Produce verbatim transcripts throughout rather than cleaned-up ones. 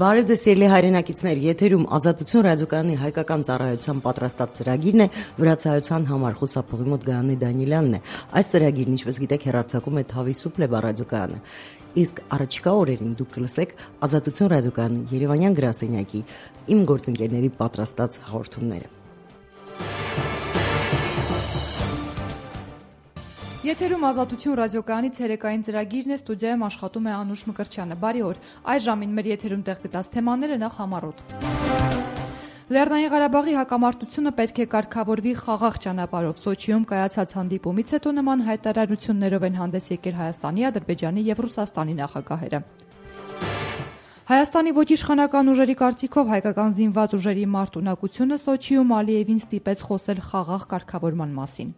Բարև ձեզ սիրելի հայրենակիցներ, եթերում Ազատություն ռադիոկայանի հայկական ծառայության պատրաստած ծրագիրն է, վրացայության համար խուսափողի մոտ Գայանե Դանիելյանն է։ Այս ծրագիրն, ինչպես գիտեք, հեռարձակում է Թավիսու Պլեբա ռադիոկայանը։ Իսկ առաջիկա օրերին դուք կլսեք Ազատություն ռադիոկայանի Երևանյան գրասենյակի իմ գործընկերների պատրաստած հաղորդումները։ Եթերում Ազատություն ռադիոկայանի ցերեկային ծրագիրն է, ստուդիայում աշխատում է Անուշ Մկրտչյանը։ Բարի օր։ Այս ժամին մեր եթերում տեղ գտած թեմաները նախ համառոտ։ Լեռնային Ղարաբաղի հակամարտությունը պետք է կարգավորվի խաղաղ ճանապարհով։ Սոչիում կայացած հանդիպումից հետո նման հայտարարություններով են հանդես եկել Հայաստանի, Ադրբեջանի եւ Ռուսաստանի նախագահերը։ Հայաստանի ոչ իշխանական ուժերի կարծիքով հայկական զինված ուժերի մարտունակությունը Սոչիում Ալիևին ստիպեց խոսել խաղաղ կարգավորման մասին։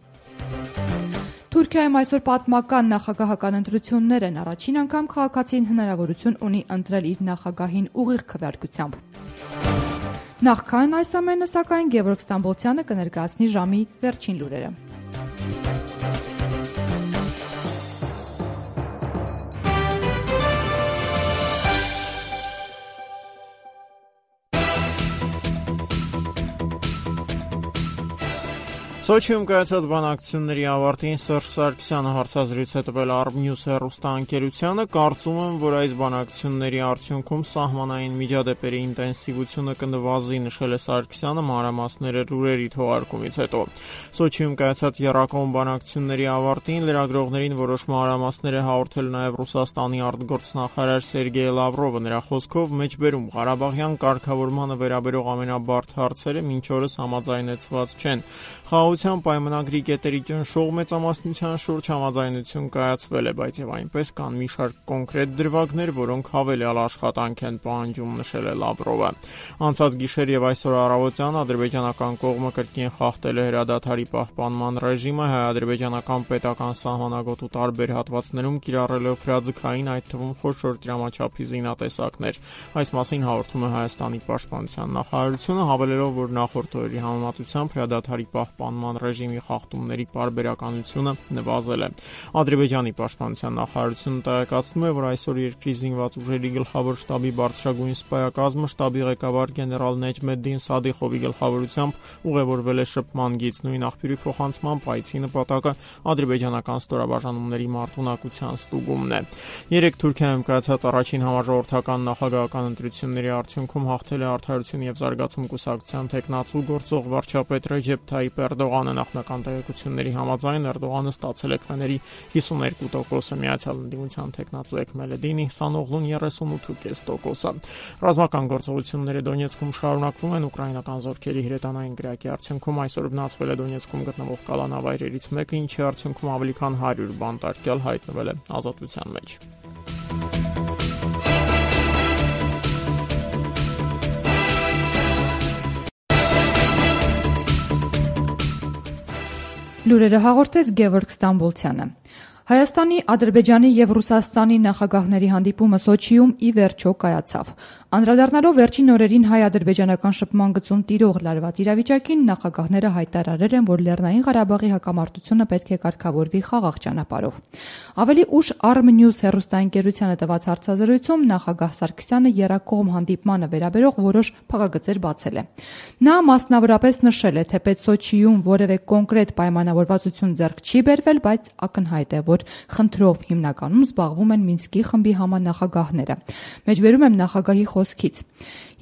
Թուրքիայում այսօր պատմական նախագահական ընտրություններ են, առաջին անգամ քաղաքացին հնարավորություն ունի ընտրել իր նախագահին ուղիղ քվեարկությամբ։ Նախքան այս ամենը, սակայն Գևորգ Ստամբոլցյանը կներկայացնի ժամի վերջին լուրերը։ Սոչիում կայացած բանակցությունների ավարտին Սերժ Սարգսյանը հարցազրույց է տվել Արմնյուս հեռուստաընկերությանը, կարծում եմ, որ այս բանակցությունների արդյունքում սահմանային միջադեպերի ինտենսիվությունը կնվազի, նշել է Սարգսյանը մանրամասները լուրերի թողարկումից հետո։ Սոչիում կայացած եռակողմ բանակցությունների ավարտին լրագրողներին որոշ մանրամասներ է հաղորդել նաև Ռուսաստանի արտգործնախարար Սերգեյ Լավրովը, նրա խոսքով մեջբերում Ղարաբաղյան կարգավորմանը վերաբերող ամենաբարդ հարցերը մինչ օրս համաձայնեցված չեն։ Խաղաղության պայմանագրի կետերի ճնշող մեծամասնության շուրջ համաձայնություն կայացվել է, բայց եւ այնպես կան մի շարք կոնկրետ դրվագներ, որոնք հավելյալ աշխատանք են պահանջում, նշել է Լավրովը։ Անցած գիշեր եւ այսօր առավոտյան ադրբեջանական կողմը կրկին խախտել է հրադադարի պահպանման ռեժիմը, հայ-ադրբեջանական պետական սահմանագոտու տարբեր հատվածներում կիրառելով հրաձգային, այդ թվում խոշոր դրամաչափի զինատեսակներ։ Այս մասին հաղորդում է Հայաստանի պաշտպանության նախարարությունը, հավելելով, որ նախորդ օրերի համեմատությամբ հրադադարի պահպանման ռեժիմի խախտումների պարբերականությունը նվազել է։ Ադրբեջանի պաշտպանության նախարարությունը տեղեկացնում է, որ այսօր երկրի զինված ուժերի գլխավոր շտաբի բարձրագույն սպայակազմը շտաբի ղեկավար գեներալ Նեջմեդդին Սադիխովի գլխավորությամբ ուղևորվել է շփման գիծ, նույն աղբյուրի փոխանցմամբ այցի նպատակը ադրբեջանական ստորաբաժանումների մարտունակության ստուգումն է։ Երեք Թուրքիայում կայացած առաջին համաժողովրդական նախագահական ընտրությունների արդյունքում հաղթել է Արդարություն եւ զարգացում կուսակցության տեխնացու գործող վարչապետ Ռեջեփ Թայիփ Էրդողանը, նախնական տեղեկությունների համաձայն Էրդողանը ստացել է քվեների հիսուներկու տոկոսը, Միացյալ Ընդդիմության տեխնացու Էքմելեդինի Սանօղլուն երեսունութ կόμμα պենս տոկոսը։ Ռազմական գործողությունները Դոնեցկում շարունակվում են, ուկրաինական զորքերի հրետանային գրակի արդյունքում այսօր վնասվել է Դոնեցկում գտնվող կալանավայրերից մեկը, ինչի արդյունքում ավելի քան հարյուր բանտարկյալ հայտնվել է ազատության մեջ։ Լուրերը հաղորդեց Գևորգ Ստամբոլցյանը։ Հայաստանի, Ադրբեջանի եւ Ռուսաստանի նախագահների հանդիպումը Սոչիում ի վերջո կայացավ։ Անդրադառնալով վերջին օրերին հայ-ադրբեջանական շփման գծում տիրող լարված իրավիճակին, նախագահները հայտարարել են, որ Լեռնային Ղարաբաղի հակամարտությունը պետք է կարգավորվի խաղաղ ճանապարհով։ Ավելի ուշ Արմնյուս հեռուստաընկերությանը տված հարցազրույցում նախագահ Սարգսյանը եռակողմ հանդիպմանը վերաբերող որոշ փակագծեր բացել է։ Նա մասնավորապես նշել է, թեպետ Սոչիում որևէ կոնկրետ պայմանավորվածություն ձեռք չի բերվել, բայց ակնհայտ է, որ խնդրով հիմնականում զբաղվում են Մինսկի խմբի համանախագահները։ Մեջբերում եմ նախագահի խոսքից.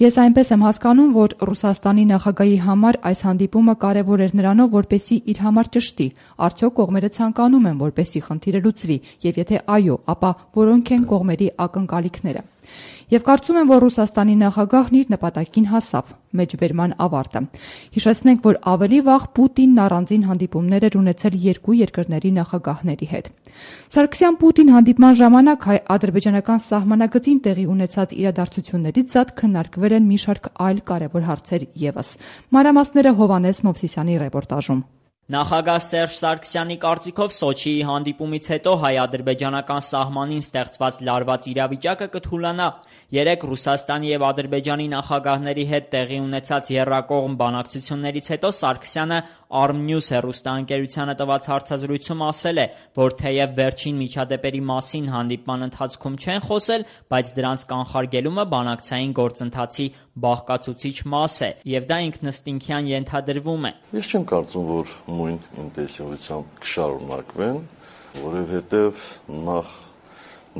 Ես այնպես եմ հասկանում, որ Ռուսաստանի նախագահի համար այս հանդիպումը կարևոր էր նրանով, որպեսզի իր համար ճշտի, արդյոք կողմերը ցանկանում են, որպեսզի խնդիրը լուծվի, եւ եթե այո, ապա որոնք են կողմերի ակնկալիքները։ Եվ կարծում եմ, որ Ռուսաստանի նախագահն իր նպատակին հասավ։ Մեջբերման ավարտը։ Հիշեցնենք, որ ավելի վաղ Պուտինն առանձին հանդիպումներ էր ունեցել երկու երկրների նախագահների հետ։ Սարգսյան-Պուտին հանդիպման ժամանակ հայ-ադրբեջանական սահմանագծին տեղի ունեցած իրադարձություններից զատ քննարկվել են մի շարք այլ կարևոր հարցեր ևս։ Մանրամասները Հովհաննես Մովսիսյանի ռեպորտաժում։ Նախագահ Սերժ Սարգսյանի կարծիքով Սոչիի հանդիպումից հետո հայ-ադրբեջանական սահմանին ստեղծված լարված իրավիճակը կթուլանա։ Երեկ Ռուսաստանի եւ Ադրբեջանի նախագահների հետ տեղի ունեցած եռակողմ բանակցություններից հետո Սարգսյանը Armnews հեռուստաընկերությանը տված հարցազրույցում ասել է, որ թեև վերջին միջադեպերի մասին հանդիպման ընթացքում չեն խոսել, բայց դրանց կանխարգելումը բանակցային գործընթացի բաղկացուցիչ մաս է, եւ դա ինքնըստինքյան ենթադրվում է։ Ես չեմ կարծում, որ նույն ինտենսիվությամբ կշարունակվեն, որովհետեւ նախ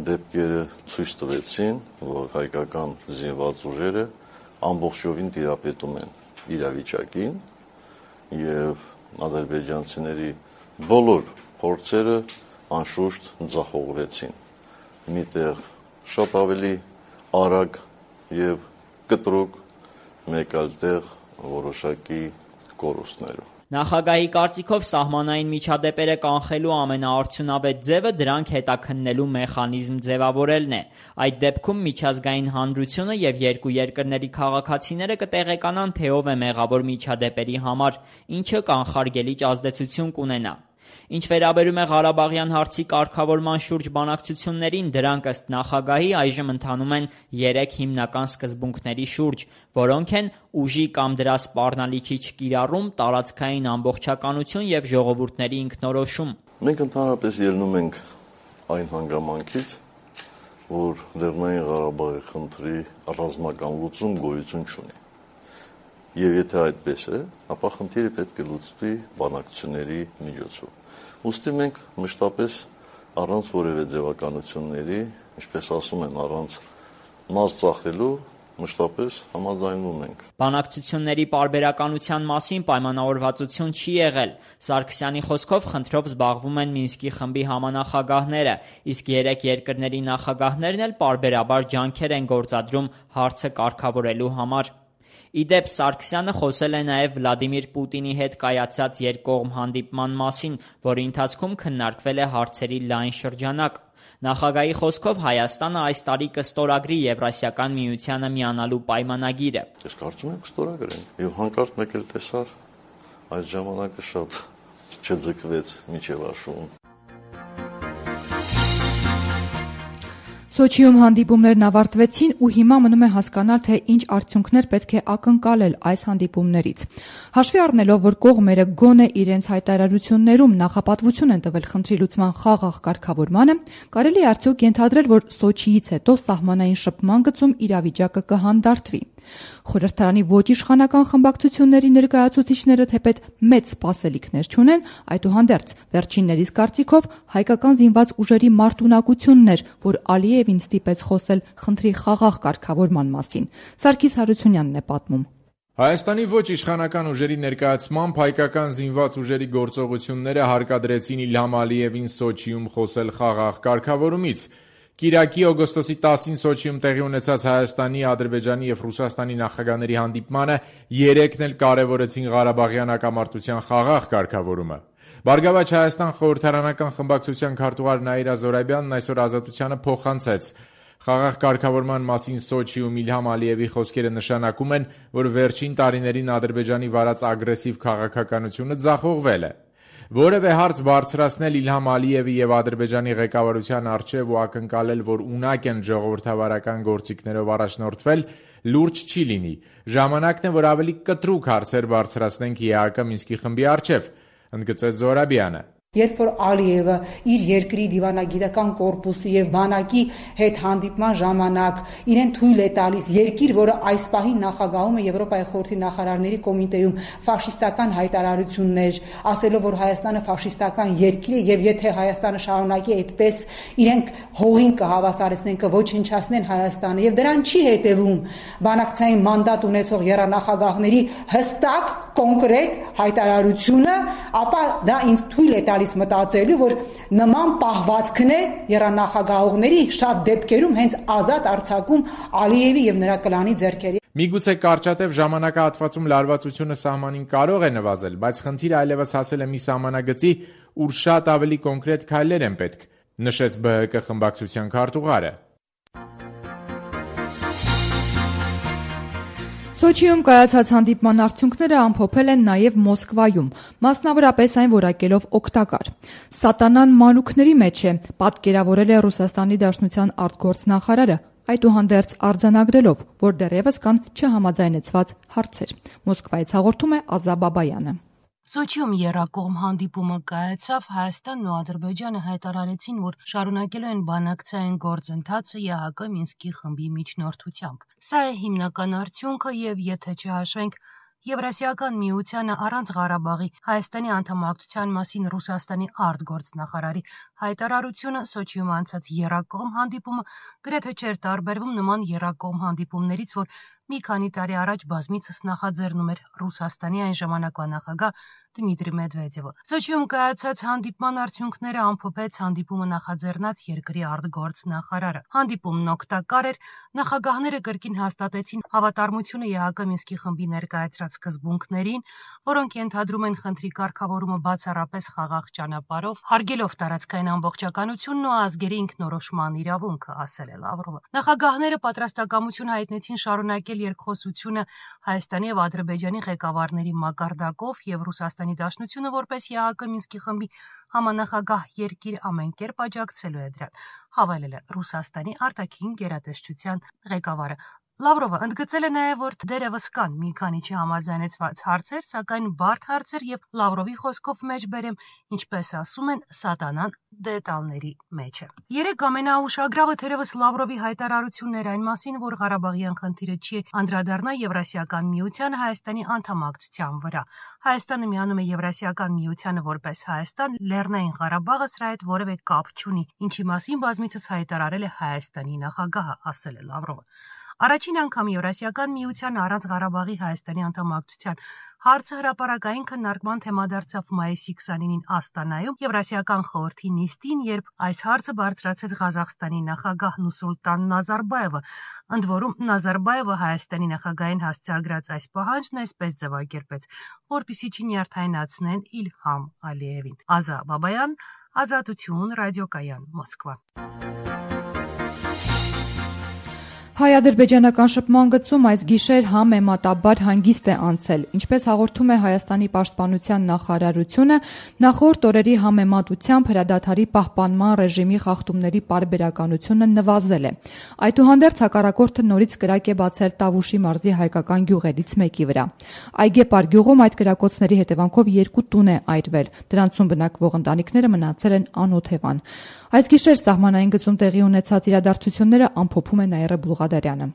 դեպքերը ցույց տվեցին, որ հայկական զինված ուժերը ամբողջովին տիրապետում են իրավիճակին եւ ադրբեջանցիների բոլոր փորձերը անշուշտ ձախողվեցին։ Միտեղ շատ ավելի արագ եւ կտրուկ, մեկ այլ տեղ որոշակի կորուստներով։ Նախագահի կարծիքով սահմանային միջադեպերը կանխելու ամենաարդյունավետ ձևը դրանք հետաքննելու մեխանիզմ ձևավորելն է։ Այդ դեպքում միջազգային հանրությունը եւ երկու երկրների քաղաքացիները կտեղեկանան, թե ով է մեղավոր միջադեպերի համար, ինչը կանխարգելիչ ազդեցություն կունենա։ Ինչ վերաբերում է Ղարաբաղյան հարցի կարգավորման շուրջ բանակցություններին, դրանք ըստ նախագահի այժմ ընթանում են երեք հիմնական սկզբունքների շուրջ, որոնք են ուժի կամ դրա սպառնալիքի չկիրառում, տարածքային ամբողջականություն եւ ժողովուրդների ինքնորոշում։ Մենք ընդհանրապես ելնում ենք այն հանգամանքից, որ Լեռնային Ղարաբաղի խնդրի ռազմական լուծում գոյություն չունի։ Եվ եթե այդպես է, ապա խնդիրը պետք է լուծվի բանակցությունների միջոցով։ Ուստի մենք մշտապես առանց որևէ ձևականությունների, ինչպես ասում են, առանց մաս ծախելու, մշտապես համաձայնվում ենք։ Բանակցությունների պարբերականության մասին պայմանավորվածություն չի եղել։ Սարգսյանի խոսքով խնդրով զբաղվում են Մինսկի խմբի համանախագահները, իսկ երեք երկրների նախագահներն էլ պարբերաբար ջանքեր են գործադրում հարցը կարգավորելու համար։ Իդեպ Սարգսյանը խոսել է նաև Վլադիմիր Պուտինի հետ կայացած երկկողմ հանդիպման մասին, որի ընթացքում քննարկվել է հարցերի լայն շրջանակ։ Նախագահի խոսքով Հայաստանը այս տարի կստորագրի Եվրասիական միությանը միանալու պայմանագիրը։ Ես կարծում եմ կստորագրեն։ Եվ հանկարծ մեկ էլ տեսար այդ ժամանակը շատ չձգվեց միջև աշուն։ Սոչիում հանդիպումներն ավարտվեցին ու հիմա մնում է հասկանալ, թե ինչ արդյունքներ պետք է ակնկալել այս հանդիպումներից։ Հաշվի առնելով, որ կողմերը գոնե իրենց հայտարարություններում նախապատվություն են տվել խնդրի լուծման խաղաղ կարգավորմանը, կարելի է արդյոք ենթադրել, որ Սոչիից հետո սահմանային շփման գծում իրավիճակը կհանդարտվի։ Խորհրդարանի ոչ իշխանական խմբակցությունների ներկայացուցիչները թեպետ մեծ սպասելիքներ չունեն, այդուհանդերձ վերջիններիս կարծիքով հայկական զինված ուժերի մարտունակությունն էր, որ Ալիևին ստիպեց խոսել խնդրի խաղաղ կարգավորման մասին։ Սարգիս Հարությունյանն է պատմում։ Հայաստանի ոչ իշխանական ուժերի ներկայացմամբ հայկական զինված ուժերի գործողությունները հարկադրեցին Իլհամ Ալիևին Սոչիում խոսել խաղաղ կարգավորումից։ Կիրակի օգոստոսի տասին Սոչիում տեղի ունեցած Հայաստանի, Ադրբեջանի եւ Ռուսաստանի նախագահների հանդիպմանը երեքն էլ կարևորեցին Ղարաբաղյան հակամարտության խաղաղ կարգավորումը։ Բարգավաճ Հայաստան խորհրդարանական խմբակցության քարտուղար Նաիրա Զորաբյանն այսօր Ազատությանը փոխանցեց. Խաղաղ կարգավորման մասին Սոչիում Իլհամ Ալիևի խոսքերը նշանակում են, որ վերջին տարիներին Ադրբեջանի վարած ագրեսիվ քաղաքականությունը ձախողվել է։ Որևէ հարց բարձրացնել Իլհամ Ալիևի եւ Ադրբեջանի ղեկավարության առջեւ ու ակնկալել, որ ունակ են ժողովրդավարական գործիքներով առաջնորդվել, լուրջ չի լինի։ Ժամանակն է, որ ավելի կտրուկ հարցեր բարձրացնենք ԵԱՀԿ Մինսկի խմբի առջեւ, ընդգծեց Զորաբյանը։ Երբ որ Ալիևը իր երկրի դիվանագիտական կորպուսի եւ բանակի հետ հանդիպման ժամանակ իրեն թույլ է տալիս երկիր, որը այս պահին նախագահում է Եվրոպայի խորհրդի նախարարների կոմիտեում ֆաշիստական հայտարարություններ, ասելով, որ Հայաստանը ֆաշիստական երկիր է եւ եթե Հայաստանը շարունակի այդպես, իրենք հողին կհավասարեցնեն, կոչնչացնեն Հայաստանը եւ դրան չի հետեւում բանակցային մանդատ ունեցող եռանախագահների հստակ կոնկրետ հայտարարությունը, ապա դա ինձ թույլ է տալիս մտածելու, որ նման պահվածքն է եռանախագահողների շատ դեպքերում հենց ազատ արձակում Ալիևի եւ նրա կլանի ձեռքերի։ Միգուցե կարճատև ժամանակահատվածում լարվածությունը սահմանին կարող է նվազել, բայց խնդիրը այլևս հասել է մի սահմանագծի, ուր շատ ավելի կոնկրետ քայլեր են պետք, նշեց ԲՀԿ խմբակցության քարտուղարը։ Սոչիում կայացած հանդիպման արդյունքները ամփոփել են նաև Մոսկվայում, մասնավորապես այն որակելով օգտակար։ Սատանան մանուկների մեջ է, պատկերավորել է Ռուսաստանի Դաշնության արտգործնախարարը, այդուհանդերձ արձանագրելով, որ դեռևս կան չհամաձայնեցված հարցեր։ Մոսկվայից հաղորդում է Ազա Բաբայանը։ Սոչիում եռակողմ հանդիպումը կայացավ, Հայաստանն ու Ադրբեջանը հայտարարեցին, որ շարունակելու են բանակցային գործընթացը ԵԱՀԿ Մինսկի խմբի միջնորդությամբ։ Սա է հիմնական արդյունքը եւ եթե չհաշվենք Եվրասիական միությանը առանց Ղարաբաղի Հայաստանի անդամակցության մասին Ռուսաստանի արտգործնախարարի հայտարարությունը Սոչիում անցած եռակողմ հանդիպումը գրեթե չէր տարբերվում նման եռակողմ հանդիպումներից, որ մի քանի տարի առաջ բազմիցս նախաձեռնում էր Ռուսաստանի այն ժամանակվա նախագահ Դմիտրի Մեդվեդևը։ Սոչիում կայացած հանդիպման արդյունքները ամփոփեց հանդիպումը նախաձեռնած երկրի արտգործնախարարը։ Հանդիպումն օգտակար էր, նախագահները կրկին հաստատեցին հավատարմությունը ԵԱՀԿ Մինսկի խմբի ներկայացրած սկզբունքներին, որոնք ենթադրում են խնդրի կարգավորումը բացառապես խաղաղ ճանապարհով, հարգելով տարածքային ամբողջականությունն ու ազգերի ինքնորոշման իրավունքը, ասել է Լավրովը։ Նախագահները պատրաստակամություն հայտնեցին շարունակել երկխոսությունը Հայաստանի եւ Ադրբեջանի ղեկավարների մակարդակով եւ Ռուսաստանի Դաշնությունը որպես ԵԱՀԿ Մինսկի խմբի համանախագահ երկիր ամեն կերպ աջակցելու է դրան, հավելել է Ռուսաստանի արտաքին գերատեսչության ղեկավարը։ Լավրովը ընդգծել է նաև, որ դերևս կան մի քանի չհամաձայնեցված հարցեր, սակայն բարդ հարցեր եւ Լավրովի խոսքով մեջբերեմ, ինչպես ասում են, սատանան դետալների մեջ է։ Երեք ամենաուշագրավը թերևս Լավրովի հայտարարությունն էր այն մասին, որ Ղարաբաղյան խնդիրը չի անդրադառնա Եվրասիական միությանը Հայաստանի անդամակցության վրա։ Հայաստանը միանում է Եվրասիական միությանը որպես Հայաստան, Լեռնային Ղարաբաղը սրա հետ որևէ կապ չունի, ինչի մասին բազմիցս հայտարարել է Հայաստանի նախագահը, ասել է Լավրովը։ Առաջին անգամ Եվրասիական միության առանց Ղարաբաղի Հայաստանի անդամակցության հարցը հրապարակային քննարկման թեմա դարձավ մայիսի քսանինին Աստանայում Եվրասիական խորհրդի նիստին, երբ այս հարցը բարձրացեց Ղազախստանի նախագահ Նուսուլտան Նազարբաևը, ընդ որում Նազարբաևը Հայաստանի նախագահին հասցեագրած այս պահանջն այսպես ձևակերպեց, որպեսզի չնյարդայնացնեն Իլհամ Ալիևին։ Ազա Բաբայան, Ազատություն, ռադիոկայան, Մոսկվա։ Հայ-ադրբեջանական շփման գծում այս գիշեր համեմատաբար հանգիստ է անցել, ինչպես հաղորդում է Հայաստանի պաշտպանության նախարարությունը, նախորդ օրերի համեմատությամբ հրադադարի պահպանման ռեժիմի խախտումների պարբերականությունը նվազել է։ Այդուհանդերձ հակառակորդը նորից կրակ է բացել Տավուշի մարզի հայկական գյուղերից մեկի վրա։ Այգեպար գյուղում այդ կրակոցների հետևանքով երկու տուն է այրվել, դրանցում բնակվող ընտանիքները մնացել են անօթևան։ Այս գիշեր սահմանային գծում տեղի ունեցած իրադարձությունները ամփոփում է Նաիրա Բուլղադարյանը։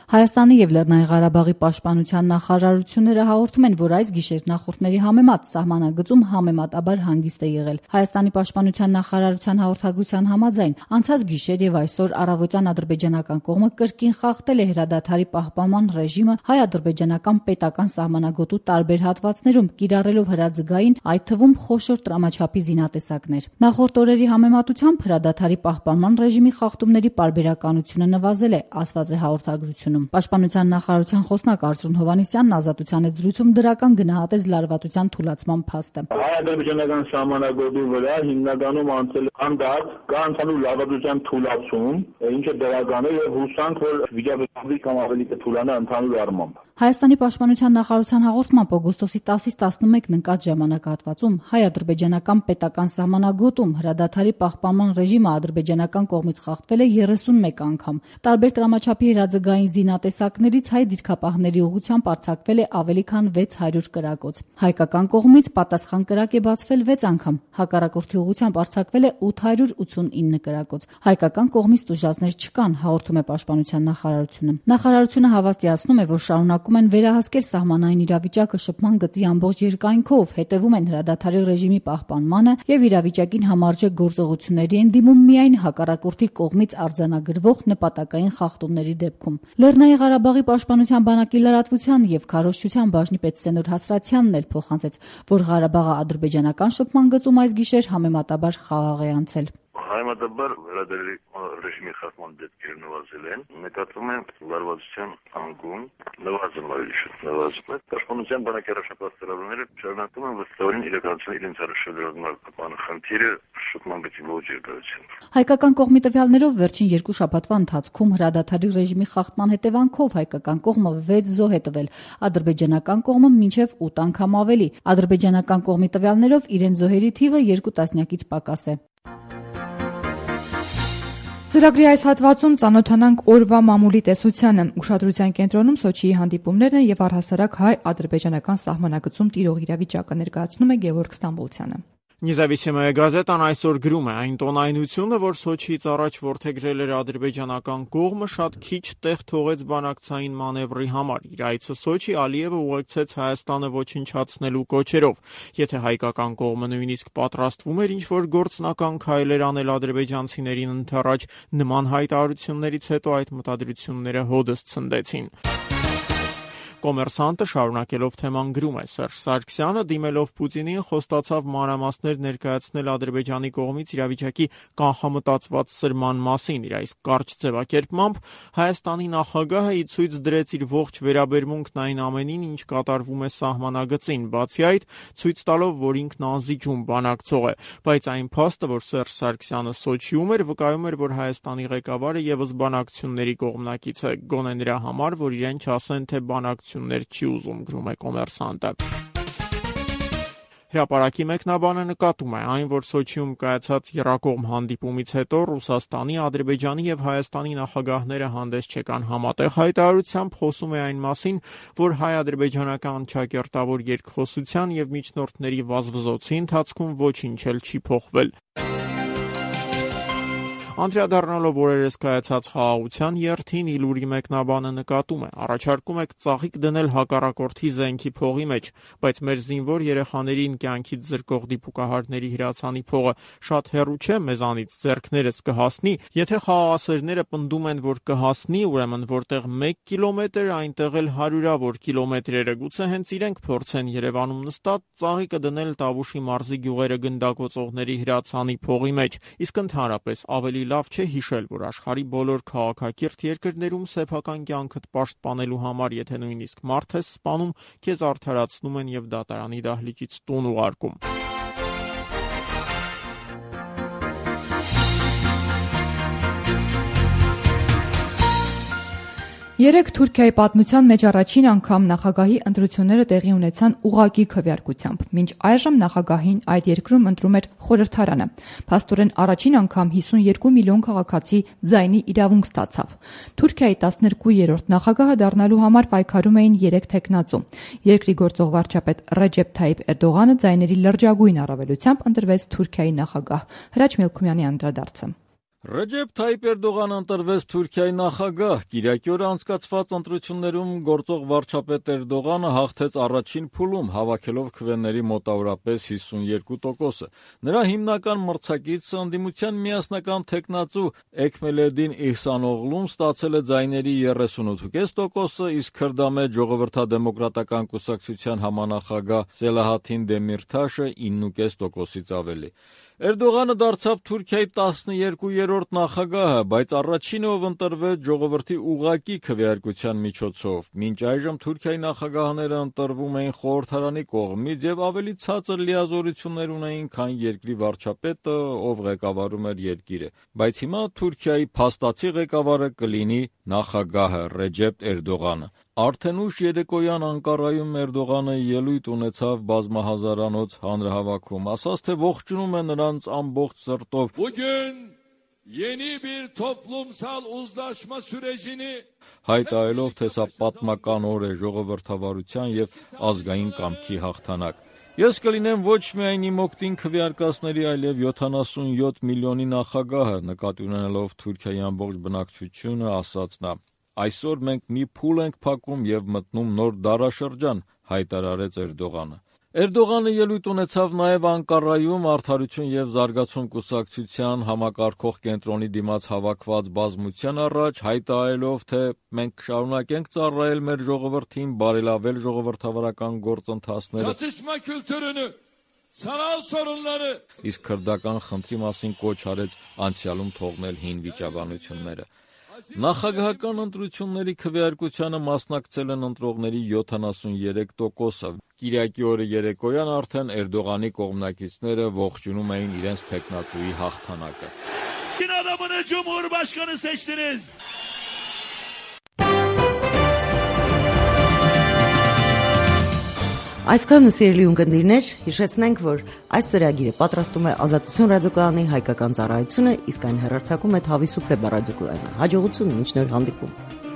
Հայաստանի եւ Լեռնային Ղարաբաղի պաշտպանության նախարարությունները հաղորդում են, որ այս գիշեր նախորդների համեմատ սահմանագծում համեմատաբար հանգիստ է եղել։ Հայաստանի պաշտպանության նախարարության հաղորդագրության համաձայն անցած գիշեր եւ այսօր առավոտյան ադրբեջանական կողմը կրկին խախտել է հրադադարի պահպանման ռեժիմը հայ-ադրբեջանական պետական սահմանագոտու տարբեր հատվածներում, կիրառելով հրաձգային, այդ թվում խոշոր տրամաչափի զինատեսակներ։ Նախորդ օրերի համեմատությամբ հրադադարի պահպանման ռեժիմի խախտումների պարբերականությունը նվազել է, ասված է հաղորդագրությունում։ Պաշտպանության նախարարության խոսնակ Արծրուն Հովհաննիսյանն Ազատության հետ զրույցում դրական գնահատեց լարվածության թուլացման փաստը։ Հայ-ադրբեջանական սահմանագոտի վրա հիմնականում անցել անդարձ կա ընդհանուր լարվածության թուլացում, ինչը դրական է եւ հուսանք, որ վիճակը կամ ավելի կթուլանա ընդհանուր առմամբ։ Հայաստանի պաշտպանության նախարարության հաղորդմամբ օգոստոսի տասից տասնմեկն ընկած ժամանակահատվածում հայ-ադրբեջանական պետական սահմանագոտում հրադադարի պահպանման ռեժիմը ադրբեջանական կողմից խախտվել է երեսունմեկ անգամ։ Տարբեր տրամաչափի հրաձգային զինատեսակներից հայ դիրքապահների ուղղությամբ արձակվել է ավելի քան վեց հարյուր կրակոց։ Հայկական կողմից պատասխան կրակ է բացվել վեց անգամ, հակառակորդի ուղղությամբ արձակվել է ութ հարյուր ութսունինը կրակոց։ Հայկական կողմից տուժածներ չկան, հաղորդում է պաշտպանության նախարարությունը։ Նախարարությունը հավաստիացնում է, որ շարունակ են վերահասկել սահմանային իրավիճակը շփման գծի ամբողջ երկայնքով, հետևում են հրադադարի ռեժիմի պահպանմանը եւ իրավիճակին համարժեք գործողությունների են դիմում միայն հակառակորդի կողմից արձանագրվող նպատակային խախտումների դեպքում։ Լեռնային Ղարաբաղի պաշտպանության բանակի լրատվության եւ քարոզչության բաժնի պետ Սենուր Հասրատյանն էլ փոխանցեց, որ Ղարաբաղը ադրբեջանական շփման գծում այս գիշեր համեմատաբար խաղաղ է անցել։ Համեմատաբար հրադադարի ռեժիմի խախտման դեպքերը նվազել են, նկատվում է լարվածության անկում, նվազում ավելի շուտ նվազում է։ Պաշտպանության բանակի առաջապահ ծրագրերը շարունակում են վստահորեն իրականացնել իրենց առաջադրական խնդիրը շփման գծի ոչ երկարությամբ։ Հայկական կողմի տվյալներով վերջին երկու շաբաթվա ընթացքում հրադադարի ռեժիմի խախտման հետևանքով հայկական կողմը վեց զոհ է տվել, ադրբեջանական կողմը մինչև ութ անգամ ավելի։ Ադրբեջանական կողմի տվյալներով իրենց զոհերի թիվը երկու տասնյակից պակաս է։ Ծրագրի այս հատվածում ծանոթանանք օրվա մամուլի տեսությանը։ Ուշադրության կենտրոնում Սոչիի հանդիպումներն են եւ առհասարակ հայ-ադրբեջանական սահմանագծում տիրող իրավիճակը ներկայացնում է Գևորգ Ստամբոլցյանը։ Նեզավիսիմая գազետան այսօր գրում է. այն տոնայնությունը, որ Սոչիից առաջ որդեգրել էր ադրբեջանական կողմը, շատ քիչ տեղ թողեց բանակցային մանևրի համար։ Իր այցը Սոչի Ալիևը ուղեկցեց Հայաստանը ոչնչացնելու կոչերով։ Եթե հայկական կողմը նույնիսկ պատրաստվում էր ինչ-որ գործնական քայլեր անել ադրբեջանցիներին ընդառաջ, նման հայտարարություններից հետո այդ մտադրությունները հոդս ցնդեցին։ Կոմերսանտը շարունակելով թեման գրում է. Սերժ Սարգսյանը դիմելով Պուտինին խոստացավ մանրամասներ ներկայացնել Ադրբեջանի կողմից իրավիճակի կանխամտածված սրման մասին։ Իր այս կարճ ձևակերպմամբ Հայաստանի նախագահը ի ցույց դրեց իր ողջ վերաբերմունքն այն ամենին, ինչ կատարվում է սահմանագծին, բացի այդ ցույց տալով, որ ինքն անզիջում բանակցող է։ Բայց այն փաստը, որ Սերժ Սարգսյանը Սոչիում էր, վկայում էր, որ Հայաստանի ղեկավարը եւս բանակցությունների կողմնակից է, գոնե նրա համար, որ իրեն չասեն, թե բանակ չի ուզում, գրում է Կոմերսանտը։ Հրապարակի մեկնաբանը նկատում է այն, որ Սոչիում կայացած եռակողմ հանդիպումից հետո Ռուսաստանի, Ադրբեջանի եւ Հայաստանի նախագահները հանդես չեկան համատեղ հայտարարությամբ, խոսում է այն մասին, որ հայ-ադրբեջանական ճակերտավոր երկխոսության եւ միջնորդների վազվզոցի ընթացքում ոչինչ էլ չի փոխվել։ Անդրադառնալով օրերս կայացած խաղաղության երթին Իլուրի մեկնաբանը նկատում է. առաջարկում եք ծաղիկ դնել հակառակորդի զենքի փողի մեջ, բայց մեր զինվոր երեխաներին կյանքից զրկող դիպուկահարների հրացանի փողը շատ հեռու չէ մեզանից, ձեռքներս կհասնի, եթե խաղաղասերները պնդում են, որ կհասնի, ուրեմն որտեղ մեկ կիլոմետր, այնտեղ էլ հարյուրավոր կիլոմետրերը, գուցե հենց իրենք փորձեն Երևանում նստած ծաղիկը դնել Տավուշի մարզի գյուղերը գնդակոծողների հրացանի փողի մեջ, իսկ ընդհանրապես ավելի լավ չէ հիշել, որ աշխարհի բոլոր քաղաքակիրթ երկրներում սեփական կյանքդ պաշտպանելու համար, եթե նույնիսկ մարդ ես սպանում, քեզ արդարացնում են եւ դատարանի դահլիճից տուն ուղարկում։ Երեկ Թուրքիայի պատմության մեջ առաջին անգամ նախագահի ընտրությունները տեղի ունեցան ուղղակի քվեարկությամբ։ Մինչ այժմ նախագահին այդ երկրում ընտրում էր խորհրդարանը։ Փաստորեն առաջին անգամ հիսունյոթ միլիոն քաղաքացի ձայնի իրավունք ստացավ։ Թուրքիայի տասներկուերորդ նախագահը դառնալու համար պայքարում էին երեք թեկնածու։ Երկրի գործող վարչապետ Ռեջեփ Թայիփ Էրդողանը ձայների լրջագույն առավելությամբ ընտրվեց Թուրքիայի նախագահ։ Հրաչ Մելքումյանի անդրադարձը։ Ռեջեփ Թայիփ Էրդողանը ընտրվեց Թուրքիայի նախագահ։ Կիրակի օրը անցկացված ընտրություններում գործող վարչապետ Էրդողանը հաղթեց առաջին փուլում, հավաքելով քվեների մոտավորապես հիսունյոթ տոկոսը։ Նրա հիմնական մրցակիցը ընդդիմության միասնական թեկնածու Էքմելեդին Իհսանօղլուն ստացել է ձայների երեսունութ կόμμα պենս տոկոսը, իսկ Քրդամեջ ժողովրդադեմոկրատական կուսակցության համանախագահ Սելահաթին Դեմիրթաշը ինը կόμμα պենս տոկոսից ավելի։ Էրդողանը դարձավ Թուրքիայի տասներկուերորդ նախագահը, բայց առաջինը, ով ընտրվեց ժողովրդի ուղղակի քվեարկության միջոցով։ Մինչ այժմ Թուրքիայի նախագահները ընտրվում էին խորհրդարանի կողմից եւ ավելի ցածր լիազորություններ ունեին, քան երկրի վարչապետը, ով ղեկավարում էր երկիրը։ Բայց հիմա Թուրքիայի փաստացի ղեկավարը կլինի նախագահը Ռեջեփ Էրդողանը։ Արդեն ուշ երեկոյան Անկարայում Էրդողանը ելույթ ունեցավ բազմահազարանոց հանրահավաքում, ասաց, թե ողջունում է նրանց ամբողջ սրտով։ Bugün yeni bir toplumsal uzlaşma sürecini հայտարարելով, թե սա պատմական օր է ժողովրդավարության եւ ազգային կամքի հաղթանակ։ Ես կլինեմ ոչ միայն իմ օգտին քվեարկածների, այլև յոթանասունյոթ միլիոնի նախագահը, նկատի ունենալով Թուրքիայի ամբողջ բնակչությունը, ասաց նա։ Այսօր մենք մի փուլ ենք փակում եւ մտնում նոր դարաշրջան, հայտարարեց Էրդողանը։ Էրդողանը ելույթ ունեցավ նաև Անկարայում Արդարություն եւ զարգացում կուսակցության համակարգող կենտրոնի դիմաց հավաքված բազմության առաջ, հայտարարելով, թե մենք կշարունակենք ծառայել մեր ժողովրդին, բարելավել ժողովրդավարական գործընթացները։ Çatışma kültürünü sanal sorunları Իսկ քրդական խնդրի մասին կոչ արեց անցյալում թողնել հին վիճաբանությունները։ Նախագահական ընտրությունների քվեարկությանը մասնակցել են ընտրողների յոթանասուներեք տոկոսը։ Կիրակի օրը երեկոյան արդեն Էրդողանի կողմնակիցները ողջունում էին իրենց թեկնածուի հաղթանակը։ Din adamını Cumhurbaşkanı seçtiniz. Այսքանը սիրելի ունկնդիրներ, հիշեցնենք, որ այս ծրագիրը պատրաստում է Ազատություն ռադիոկայանի հայկական ծառայությունը, իսկ այն հեռարձակում է Թավի Սուպլե ռադիոկայանը։ Հաջողություն, մինչ նոր հանդիպում։